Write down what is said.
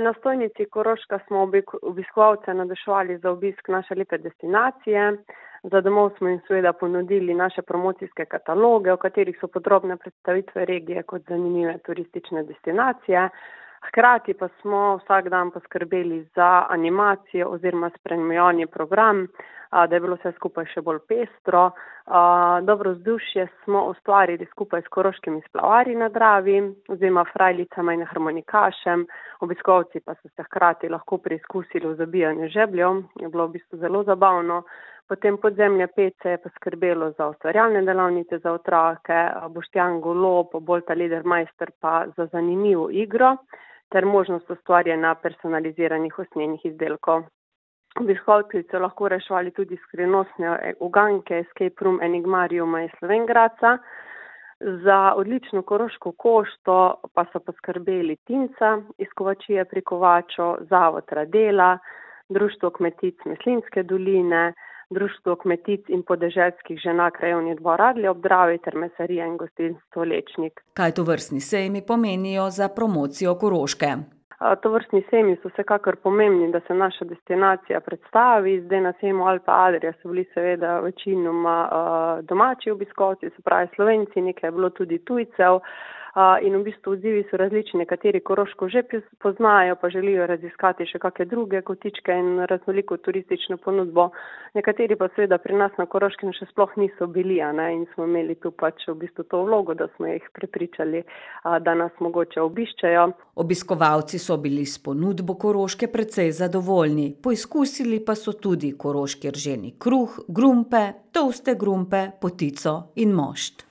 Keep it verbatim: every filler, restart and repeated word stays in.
Na stojnici Koroška smo obiskovalce navduševali za obisk naše lepe destinacije. Za domov smo jim seveda ponudili naše promocijske kataloge, v katerih so podrobne predstavitve regije kot zanimive turistične destinacije. Hkrati pa smo vsak dan poskrbeli za animacijo oziroma spremljevalni program, da je bilo vse skupaj še bolj pestro. Dobro vzdušje smo ustvarili skupaj s koroškimi splavarji na Dravi oziroma frajlicama in harmonikašem. Obiskovalci pa so se hkrati lahko preizkusili v zabijanju žebljev, je bilo v bistvu zelo zabavno. Potem Podzemlje pet se je poskrbelo za ustvarjalne delavnice za otroke, Boštjan Golob, Bolta Ledermeister pa za zanimivo igro ter možnost ustvarjanja personaliziranih usnjenih izdelkov. Obiskovalci so lahko reševali tudi skrivnostne uganke Escape Room Enigmariuma iz Slovenj Gradca. Za odlično koroško košto pa so poskrbeli Tinca iz Kovačije pri Kovaču, Zavod Radela, Društvo kmetic Meslinske doline, Društvo kmetic in podeželskih žena Krajevni dvor Radlje ob Dravi ter Mesarija in gostinstvo Lečnik. Kaj tovrstni sejmi pomenijo za promocijo Koroške? Tovrstni sejmi so vsekakor pomembni, da se naša destinacija predstavi. Zdaj na sejmu Alpe Adria so bili seveda večinoma domači obiskovalci, se pravi Slovenci, nekaj je bilo tudi tujcev. In v bistvu odzivi so različni, nekateri Koroško že poznajo, pa želijo raziskati še kakšne druge kotičke in raznoliko turistično ponudbo. Nekateri pa seveda pri nas na Koroškem še sploh niso bili, a ne, in smo imeli tu pač v bistvu to vlogo, da smo jih prepričali, da nas mogoče obiščejo. Obiskovalci so bili s ponudbo Koroške precej zadovoljni, poizkusili pa so tudi koroški rženi kruh, grumpe, tolste grumpe, potico in mošt.